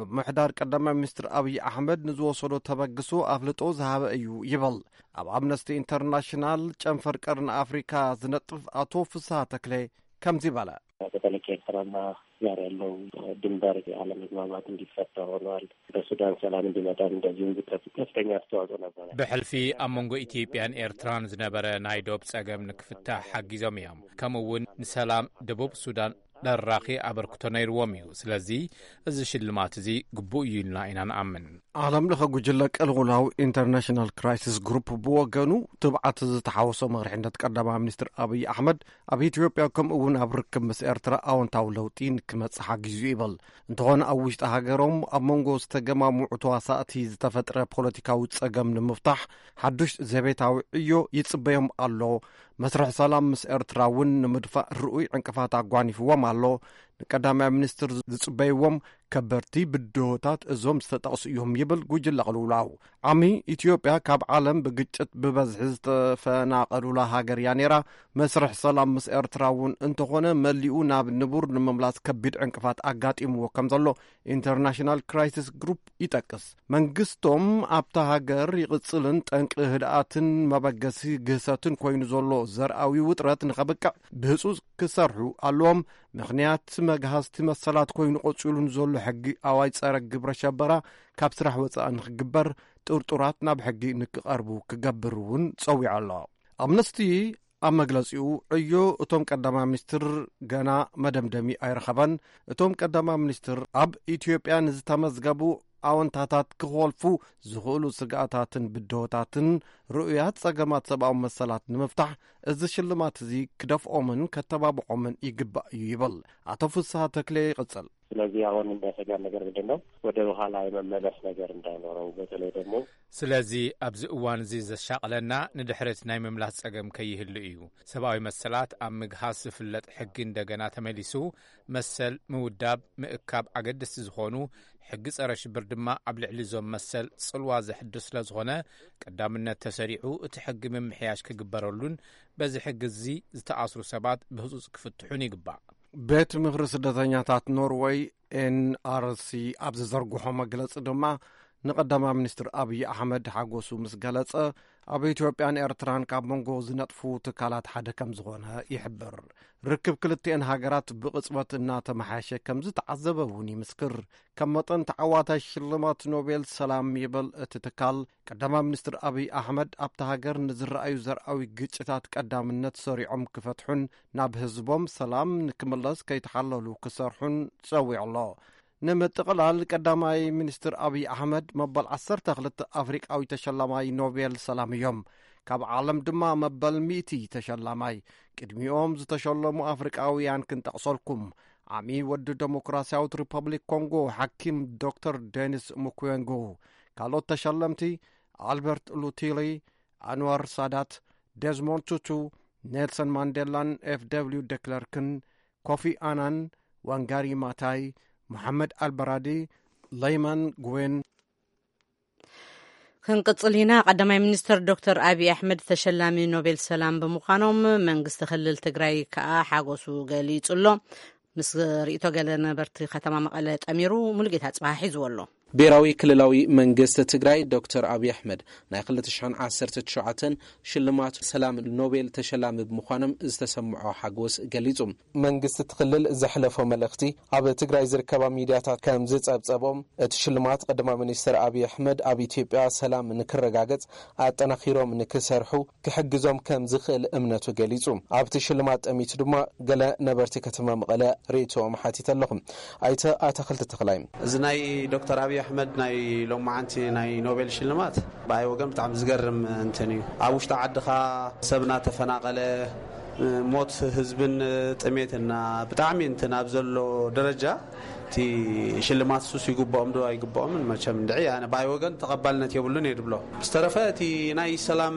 ምምሕዳር ቀዳማይ ሚኒስትር ኣብይ ኣሕመድ ንዝወሰዶ ተበግሶ ኣፍልጦ ዝሃበ እዩ ይብል። ኣብ ኣምነስቲ ኢንተርናሽናል ጨንፈር ቀርኒ ኣፍሪካ ዝነጥፍ ኣቶ ፍስሃ ተክለ ከምዚ በለ። በተለይ ከኤርትራና ጋር ያለው ድንበር ያለመግባባት እንዲፈታ ሆኗል። በሱዳን ሰላም እንዲመጣ እንደዚሁ ከፍተኛ አስተዋጽኦ ነበረ። ብሕልፊ ኣብ መንጎ ኢትዮጵያን ኤርትራን ዝነበረ ናይ ዶብ ጸገም ንክፍታሕ ሓጊዞም እዮም። ከምኡ እውን ንሰላም ደቡብ ሱዳን ደራኺ ኣበርክቶ ነይርዎም እዩ። ስለዚ እዚ ሽልማት እዚ ግቡእ እዩ ኢልና ኢና ንኣምን። ዓለም ለኸ ጉጅለ ቅልውላው ኢንተርናሽናል ክራይሲስ ግሩፕ ብወገኑ ትብዓት ዝተሓወሶ መሪሕነት ቀዳማይ ሚኒስትር ኣብይ ኣሕመድ ኣብ ኢትዮጵያ ከምኡ እውን ኣብ ርክብ ምስ ኤርትራ ኣወንታዊ ለውጢ ንክመጽእ ሓጊዙ ይብል። እንተኾነ ኣብ ውሽጢ ሃገሮም ኣብ መንጎ ዝተገማምዑ ተዋሳእቲ ዝተፈጥረ ፖለቲካዊ ጸገም ንምፍታሕ ሓዱሽ ዘቤታዊ ዕዮ ይጽበዮም ኣሎ። መስርሕ ሰላም ምስ ኤርትራ እውን ንምድፋእ ርኡይ ዕንቅፋት ኣጓኒፍዎም ኣሎ። ንቀዳማይ ሚኒስትር ዝጽበይዎም ከበድቲ ብድሆታት እዞም ዝተጠቕሱ እዮም ይብል ጉጅለ ቅልውላው። ዓሚ ኢትዮጵያ ካብ ዓለም ብግጭት ብበዝሒ ዝተፈናቐሉላ ሃገር እያ ነይራ። መስርሕ ሰላም ምስ ኤርትራ እውን እንተኾነ መሊኡ ናብ ንቡር ንምምላስ ከቢድ ዕንቅፋት ኣጋጢምዎ ከም ዘሎ ኢንተርናሽናል ክራይሲስ ግሩፕ ይጠቅስ። መንግስቶም ኣብታ ሃገር ይቕጽልን ጠንቂ ህድኣትን መበገሲ ግህሰትን ኮይኑ ዘሎ ዘርኣዊ ውጥረት ንኸብቅዕ ብህጹጽ ክሰርሑ ኣለዎም። ምኽንያት መግሃስቲ መሰላት ኮይኑ ቀጺሉ ንዘሎ ሕጊ ኣዋጅ ጸረ ግብረ ሸበራ ካብ ስራሕ ወጻኢ ንኽግበር፣ ጥርጡራት ናብ ሕጊ ንክቐርቡ ክገብር እውን ጸዊዑ ኣሎ። ኣምነስቲ ኣብ መግለጺኡ ዕዮ እቶም ቀዳማይ ሚኒስትር ገና መደምደሚ ኣይረኸበን። እቶም ቀዳማይ ሚኒስትር ኣብ ኢትዮጵያ ንዝተመዝገቡ ኣወንታታት ክኾልፉ ዝኽእሉ ስግኣታትን ብድሆታትን ርኡያት ጸገማት ሰብኣዊ መሰላት ንምፍታሕ እዚ ሽልማት እዚ ክደፍኦምን ከተባብዖምን ይግባእ እዩ ይብል። ኣቶ ፍስሃ ተክሌ ይቕጽል። ስለዚህ አሁን የሚያሰጋን ነገር ምንድን ነው? ወደ ኋላ የመመለስ ነገር እንዳይኖረው፣ በተለይ ደግሞ ስለዚ ኣብዚ እዋን እዚ ዘሻቕለና ንድሕሪት ናይ ምምላስ ጸገም ከይህሉ እዩ። ሰብኣዊ መሰላት ኣብ ምግሃስ ዝፍለጥ ሕጊ እንደገና ተመሊሱ፣ መሰል ምውዳብ፣ ምእካብ ኣገደስቲ ዝኾኑ ሕጊ ጸረ ሽብር ድማ ኣብ ልዕሊ እዞም መሰል ጽልዋ ዘሕድር ስለ ዝኾነ፣ ቀዳምነት ተሰሪዑ እቲ ሕጊ ምምሕያሽ ክግበረሉን በዚ ሕጊ እዚ ዝተኣስሩ ሰባት ብህጹጽ ክፍትሑን ይግባእ። ቤት ምኽሪ ስደተኛታት ኖርወይ ኤንኣርሲ ኣብ ዝዘርግሖ መግለጺ ድማ ንቀዳማይ ሚኒስትር ኣብይ ኣሕመድ ሓጎሱ ምስ ገለጸ፣ ኣብ ኢትዮጵያን ኤርትራን ካብ መንጎ ዝነጥፉ ትካላት ሓደ ከም ዝኾነ ይሕብር። ርክብ ክልቲኤን ሃገራት ብቕጽበት እናተመሓየሸ ከም ዝተዓዘበ እውን ይምስክር። ከም መጠን ተዓዋታይ ሽልማት ኖቤል ሰላም ይበል እቲ ትካል፣ ቀዳማይ ሚኒስትር ኣብይ ኣሕመድ ኣብታ ሃገር ንዝረኣዩ ዘርኣዊ ግጭታት ቀዳምነት ሰሪዖም ክፈትሑን ናብ ህዝቦም ሰላም ንክምለስ ከይተሓለሉ ክሰርሑን ጸዊዑ ኣሎ። ንምጥቕላል፣ ቀዳማይ ሚኒስትር ኣብይ ኣሕመድ መበል ዓሰርተ ክልተ ኣፍሪቃዊ ተሸላማይ ኖቤል ሰላም እዮም። ካብ ዓለም ድማ መበል ሚእቲ ተሸላማይ። ቅድሚኦም ዝተሸለሙ ኣፍሪቃውያን ክንጠቕሰልኩም፣ ዓሚ ወዲ ደሞክራሲያዊት ሪፐብሊክ ኮንጎ ሓኪም ዶክተር ዴኒስ ሙክዌንጎ። ካልኦት ተሸለምቲ ኣልበርት ሉቲሊ፣ ኣንዋር ሳዳት፣ ዴዝሞንድ ቱቱ፣ ኔልሰን ማንዴላን ኤፍ ደብሊው ደክለርክን፣ ኮፊ ኣናን፣ ዋንጋሪ ማታይ፣ መሓመድ ኣልበራዲ፣ ለይማን ጉዌን። ክንቅጽል ኢና። ቀዳማይ ሚኒስትር ዶክተር ኣብይ ኣሕመድ ተሸላሚ ኖቤል ሰላም ብምዃኖም መንግስቲ ክልል ትግራይ ከኣ ሓጎሱ ገሊጹ ኣሎ። ምስ ርእይቶ ገለ ነበርቲ ከተማ መቐለ ጠሚሩ ሙሉጌታ ጽባህ ሒዝዎ ኣሎ። ብሔራዊ ክልላዊ መንግስቲ ትግራይ ዶክተር ኣብይ ኣሕመድ ናይ ክልተ ሽሕን ዓሰርተ ትሽዓተን ሽልማት ሰላም ኖቤል ተሸላሚ ብምዃኖም ዝተሰምዖ ሓጎስ ገሊጹ። መንግስቲ እቲ ክልል ዘሕለፎ መልእኽቲ ኣብ ትግራይ ዝርከባ ሚድያታት ከም ዝጸብጸቦም፣ እቲ ሽልማት ቀዳማይ ሚኒስትር ኣብይ ኣሕመድ ኣብ ኢትዮጵያ ሰላም ንክረጋገጽ ኣጠናኺሮም ንክሰርሑ ክሕግዞም ከም ዝኽእል እምነቱ ገሊጹ። ኣብቲ ሽልማት ጠሚቱ ድማ ገለ ነበርቲ ከተማ መቐለ ርእይቶኦም ሓቲተ ኣለኹ። ኣይተ ኣታኽልቲ ተኽላይ። እዚ ናይ ዶክተር ኣብይ ኣሕመድ ናይ ሎማዓንቲ ናይ ኖቤል ሽልማት ብኣይ ወገን ብጣዕሚ ዝገርም እንትን እዩ። ኣብ ውሽጢ ዓድኻ ሰብ እናተፈናቐለ፣ ሞት ህዝብን ጥሜትና ብጣዕሚ እንትን ኣብ ዘሎ ደረጃ፣ እቲ ሽልማት ሱስ ይግብኦም ዶ ኣይግብኦምን መቸም እንድዒ፣ ኣነ ብኣይ ወገን ተቐባልነት የብሉን እየ ድብሎ። ዝተረፈ እቲ ናይ ሰላም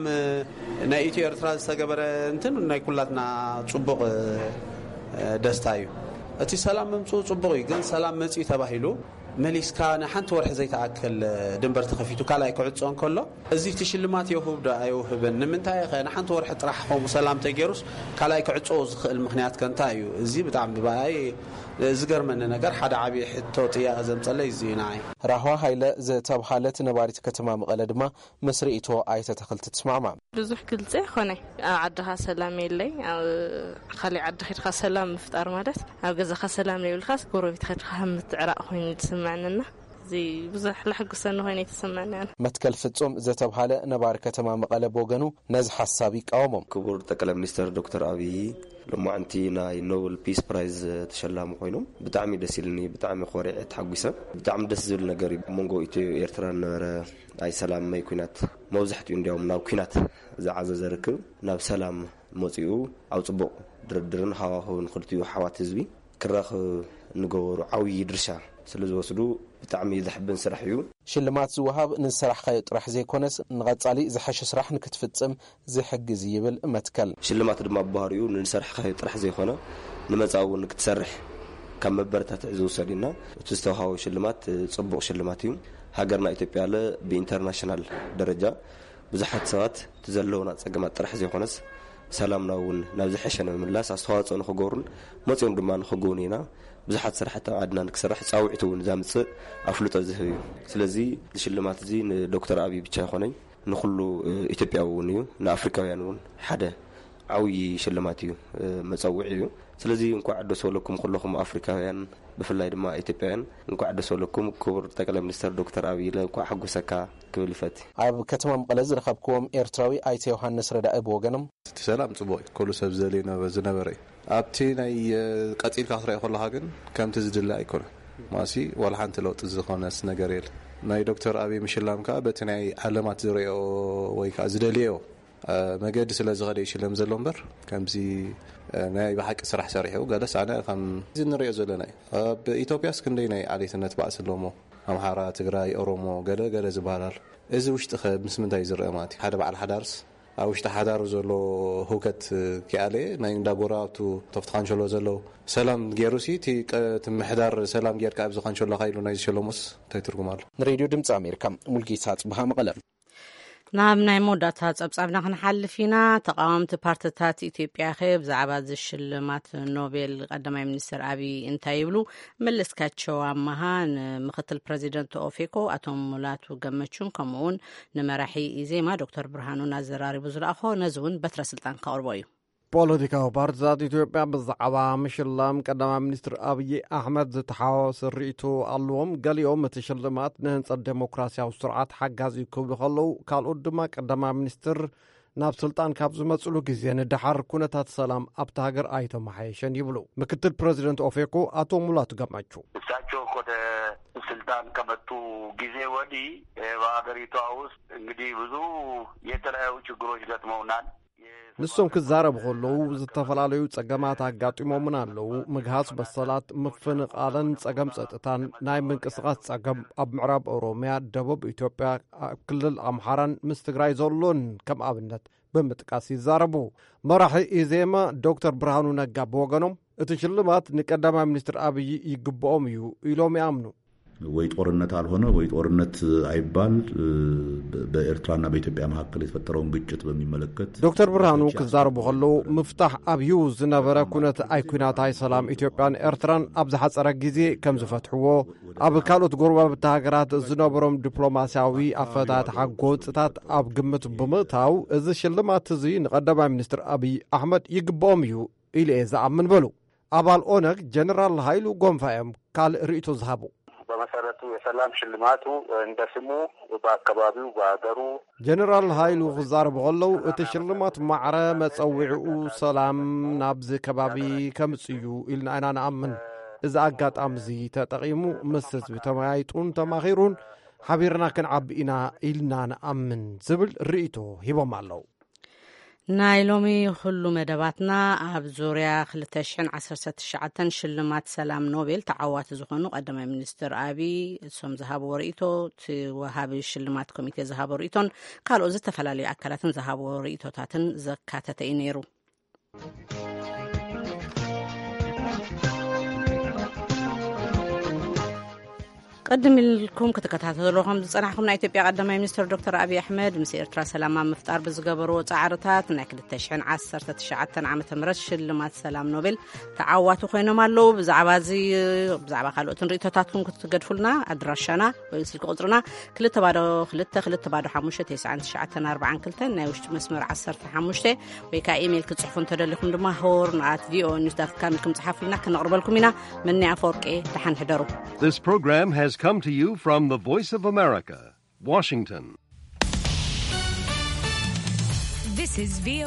ናይ ኢትዮ ኤርትራ ዝተገበረ እንትን ናይ ኩላትና ጽቡቕ ደስታ እዩ። እቲ ሰላም ምምጽኡ ጽቡቕ እዩ፣ ግን ሰላም መጽኡ ተባሂሉ መሊስካ ንሓንቲ ወርሒ ዘይተኣክል ድንበር ተኸፊቱ ካልኣይ ክዕጾ እንከሎ፣ እዚ እቲ ሽልማት የውህብ ዶ ኣይውህብን? ንምንታይ ኸ ንሓንቲ ወርሒ ጥራሕ ከምኡ ሰላም ተገይሩስ ካልኣይ ክዕጾ ዝኽእል ምኽንያት ከ እንታይ እዩ? እዚ ብጣዕሚ ብኣይ ዝገርመኒ ነገር፣ ሓደ ዓብዪ ሕቶ ጥያቐ ዘምጸለይ እዚ እዩ ንዓይ። ራህዋ ሃይለ ዝተብሃለት ነባሪት ከተማ መቐለ ድማ ምስ ርእይቶ ኣይተ ተኽልቲ ትስማዕማዕ። ብዙሕ ግልጺ ኣይኮነይ። ኣብ ዓድኻ ሰላም የለይ። ኣብ ካሊእ ዓዲ ኸድካ ሰላም ምፍጣር ማለት ኣብ ገዛኻ ሰላም ዘይብልካስ ጎረቤት ኸድካ ከም ምትዕራቕ ኮይኑ ዝስምዐንና። እዚ ብዙሕ ለሕጉሰኒ ኮይኑ ኣይተሰምዐኒ ኣነ። መትከል ፍጹም ዝተብሃለ ነባሪ ከተማ መቐለ ብወገኑ ነዚ ሓሳብ ይቃወሞ። ክቡር ጠቅላይ ሚኒስትር ዶክተር ኣብይ ሎማዓንቲ ናይ ኖብል ፒስ ፕራይዝ ተሸላሚ ኮይኖም ብጣዕሚ ደስ ኢልኒ። ብጣዕሚ ኮሪዐ ተሓጒሰ። ብጣዕሚ ደስ ዝብል ነገር እዩ። ኣብ መንጎ ኢትዮ ኤርትራ ዝነበረ ናይ ሰላም መይ ኩናት መብዛሕትኡ እንዲያውም ናብ ኩናት ዝዓዘዘ ርክብ ናብ ሰላም መጺኡ ኣብ ጽቡቕ ድርድርን ሃዋህውን ክልቲኡ ኣሕዋት ህዝቢ ክራኸብ እንገበሩ ዓብዪ ድርሻ ስለ ዝወስዱ ብጣዕሚ ዘሕብን ስራሕ እዩ። ሽልማት ዝወሃብ ንዝሰራሕካዮ ጥራሕ ዘይኮነስ ንቐጻሊ ዝሐሸ ስራሕ ንክትፍጽም ዝሕግዝ ይብል መትከል። ሽልማት ድማ ብባህሪኡ ንዝሰራሕካዮ ጥራሕ ዘይኮነ ንመጻኢ እውን ክትሰርሕ ካብ መበረታትዒ ዝውሰድ እዩና እቲ ዝተውሃቦ ሽልማት ጽቡቕ ሽልማት እዩ። ሃገርና ኢትዮጵያ ለ ብኢንተርናሽናል ደረጃ ብዙሓት ሰባት እቲ ዘለውና ጸገማት ጥራሕ ዘይኮነስ ሰላምና እውን ናብ ዝሐሸ ንምምላስ ኣስተዋጽኦ ንክገብሩን መጺኦም ድማ ንክጎብኑና ብዙሓት ስራሕቲ ኣብ ዓድና ንክሰርሕ ጻውዒት እውን ዘምጽእ ኣፍልጦ ዝህብ እዩ። ስለዚ እዚ ሽልማት እዚ ንዶክተር ኣብይ ብቻ ይኾነይ ንኩሉ ኢትዮጵያዊ እውን እዩ፣ ንኣፍሪካውያን እውን ሓደ ዓብዪ ሽልማት እዩ፣ መጸውዒ እዩ። ስለዚ እንኳዕ ደስ በለኩም ኩለኹም ኣፍሪካውያን፣ ብፍላይ ድማ ኢትዮጵያውያን እንኳዕ ደስ በለኩም። ክቡር ጠቅላይ ሚኒስትር ዶክተር ኣብይ ኢለ እንኳዕ ሓጎሰካ ክብል ይፈት። ኣብ ከተማ መቐለ ዝረኸብክዎም ኤርትራዊ ኣይተ ዮሃንስ ረዳኢ ብወገኖም፣ እቲ ሰላም ጽቡቕ እዩ፣ ኩሉ ሰብ ዝደልዮ ነበ- ዝነበረ እዩ። ኣብቲ ናይ ቀጺልካ ክትረኦ ከለኻ ግን ከምቲ ዝድለ ኣይኮነን። ማሲ ዋላ ሓንቲ ለውጢ ዝኾነስ ነገር የለ። ናይ ዶክተር ኣብይ ምሽላም ከዓ በቲ ናይ ዓለማት ዝረኦ ወይ ከዓ ዝደልዮ መገዲ ስለ ዝኸደ ይሽለም ዘሎ እምበር ከምዚ ናይ ብሓቂ ስራሕ ሰሪሑ ገለስ ኣነ ከም እዚ ንሪኦ ዘለና እዩ። ኣብ ኢትዮጵያስ ክንደይ ናይ ዓሌትነት ባእሲ ኣለዎ? ኣምሓራ፣ ትግራይ፣ ኦሮሞ ገለ ገለ ዝበሃል ኣሎ። እዚ ውሽጢ ከ ምስ ምንታይ ዝረአ ማለት እዩ? ሓደ በዓል ሓዳርስ ኣብ ውሽጢ ሓዳሩ ዘሎ ህውከት ክኣለ ናይ እንዳ ጎረባብቱ ተፍቲ ካንሸሎ ዘሎ ሰላም ገይሩ ሲ እቲ ቀ- እቲ ምሕዳር ሰላም ጌርካ ኣብዚ ካንሸሎካ ኢሉ ናይ ዝሸለሙስ እንታይ ትርጉም ኣሎ? ንሬድዮ ድምፂ ኣሜሪካ ሙልጌታ ጽብሃ መቐለ። ናብ ናይ መወዳእታ ጸብጻብና ክንሓልፍ ኢና። ተቓወምቲ ፓርትታት ኢትዮጵያ ከ ብዛዕባ እዚ ሽልማት ኖቤል ቀዳማይ ሚኒስትር ኣብይ እንታይ ይብሉ? መለስካቸው ኣማሃ ንምክትል ፕረዚደንት ኦፌኮ ኣቶ ሙላቱ ገመቹን ከምኡውን ንመራሒ ኢዜማ ዶክተር ብርሃኑን ኣዘራሪቡ ዝለኣኾ ነዚ እውን በትረ ስልጣን ከቕርቦ እዩ። ፖለቲካዊ ፓርትታት ኢትዮጵያ ብዛዕባ ምሽላም ቀዳማይ ሚኒስትር ኣብይ ኣሕመድ ዝተሓዋወሰ ርእይቶ ኣለዎም። ገሊኦም እቲ ሽልማት ንህንጸት ዴሞክራሲያዊ ስርዓት ሓጋዚ እዩ ክብሉ ከለዉ፣ ካልኦት ድማ ቀዳማይ ሚኒስትር ናብ ስልጣን ካብ ዝመጽሉ ግዜ ንደሓር ኩነታት ሰላም ኣብታ ሃገር ኣይተመሓየሸን ይብሉ። ምክትል ፕረዚደንት ኦፌኮ ኣቶ ሙላቱ ገመቹ እሳቸው ወደ ስልጣን ከመጡ ጊዜ ወዲህ በሀገሪቷ ውስጥ እንግዲህ ብዙ የተለያዩ ችግሮች ገጥመውናል። ንሶም ክዛረቡ ከለዉ ዝተፈላለዩ ጸገማት ኣጋጢሞምን ኣለዉ። ምግሃስ በሰላት፣ ምፍንቓልን ጸገም ጸጥታን፣ ናይ ምንቅስቓስ ጸገም ኣብ ምዕራብ ኦሮምያ፣ ደቡብ ኢትዮጵያ፣ ኣብ ክልል ኣምሓራን ምስ ትግራይ ዘሎን ከም ኣብነት ብምጥቃስ ይዛረቡ። መራሒ ኢዜማ ዶክተር ብርሃኑ ነጋ ብወገኖም እቲ ሽልማት ንቀዳማይ ሚኒስትር ኣብይ ይግብኦም እዩ ኢሎም ይኣምኑ። ወይ ጦርነት አልሆነ ወይ ጦርነት አይባል በኤርትራና በኢትዮጵያ መካከል የተፈጠረውን ግጭት በሚመለከት ዶክተር ብርሃኑ ክዛረቡ ከለዉ ምፍታሕ ኣብዩ ዝነበረ ኩነት ኣይኩናት ኣይሰላም ኢትዮጵያን ኤርትራን ኣብ ዝሓፀረ ግዜ ከም ዝፈትሕዎ ኣብ ካልኦት ጎረባብቲ ሃገራት ዝነበሮም ዲፕሎማስያዊ ኣፈታትሓ ጎንፅታት ኣብ ግምት ብምእታው እዚ ሽልማት እዚ ንቀዳማይ ሚኒስትር ኣብይ ኣሕመድ ይግብኦም እዩ ኢለ እየ ዝኣምን በሉ። ኣባል ኦነግ ጀነራል ሃይሉ ጎንፋ እዮም ካልእ ርእይቶ ዝሃቡ። በመሰረቱ የሰላም ሽልማቱ እንደ ስሙ በአካባቢው በአገሩ ጀነራል ሃይሉ ክዛረቡ ከለዉ እቲ ሽልማት ማዕረ መጸዊዕኡ ሰላም ናብዚ ከባቢ ከምጽእ እዩ ኢልና ኢና ንኣምን። እዚ ኣጋጣሚ እዚ ተጠቒሙ ምስ ህዝቢ ተመያይጡን ተማኺሩን ሓቢርና ክንዓቢ ኢና ኢልና ንኣምን ዝብል ርእይቶ ሂቦም ኣለዉ። ናይ ሎሚ ኩሉ መደባትና ኣብ ዙርያ ክልተ ሽሕን ዓሰርተ ትሽዓተን ሽልማት ሰላም ኖቤል ተዓዋቲ ዝኾኑ ቀዳማይ ሚኒስትር ኣብይ እሶም ዝሃብዎ ርእይቶ፣ እቲ ወሃቢ ሽልማት ኮሚቴ ዝሃቦ ርእይቶን ካልኦት ዝተፈላለዩ ኣካላትን ዝሃብዎ ርእይቶታትን ዘካተተ እዩ ነይሩ። ቅድም ኢልኩም ክትከታተልዎ ከም ዝጸናሕኩም፣ ናይ ኢትዮጵያ ቀዳማይ ሚኒስትር ዶክተር ኣብይ ኣሕመድ ምስ ኤርትራ ሰላም ኣብ ምፍጣር ብዝገበርዎ ጻዕርታት ናይ ክልተ ሽሕን ዓሰርተ ትሽዓተን ዓመተ ምህረት ሽልማት ሰላም ኖቤል ተዓዋቲ ኮይኖም ኣለዉ። ብዛዕባ እዚ፣ ብዛዕባ ካልኦትን ርእይቶታትኩም ክትገድፉልና ኣድራሻና ወይ ስልኪ ቁጽርና ክልተ ባዶ ክልተ ክልተ ባዶ ሓሙሽተ ተስዓን ትሽዓተን ኣርባዓን ክልተን፣ ናይ ውሽጢ መስመር ዓሰርተ ሓሙሽተ፣ ወይ ከዓ ኢሜይል ክትጽሕፉ እንተደሊኹም ድማ ሆርን ኣት ቪኦኤ ኒውስ ዳት ካም ኢልኩም ጽሓፉልና፣ ክነቕርበልኩም ኢና። መኒ ኣፈወርቂ፣ ደሓን ሕደሩ። This program has come to you from the Voice of America, Washington. This is VOA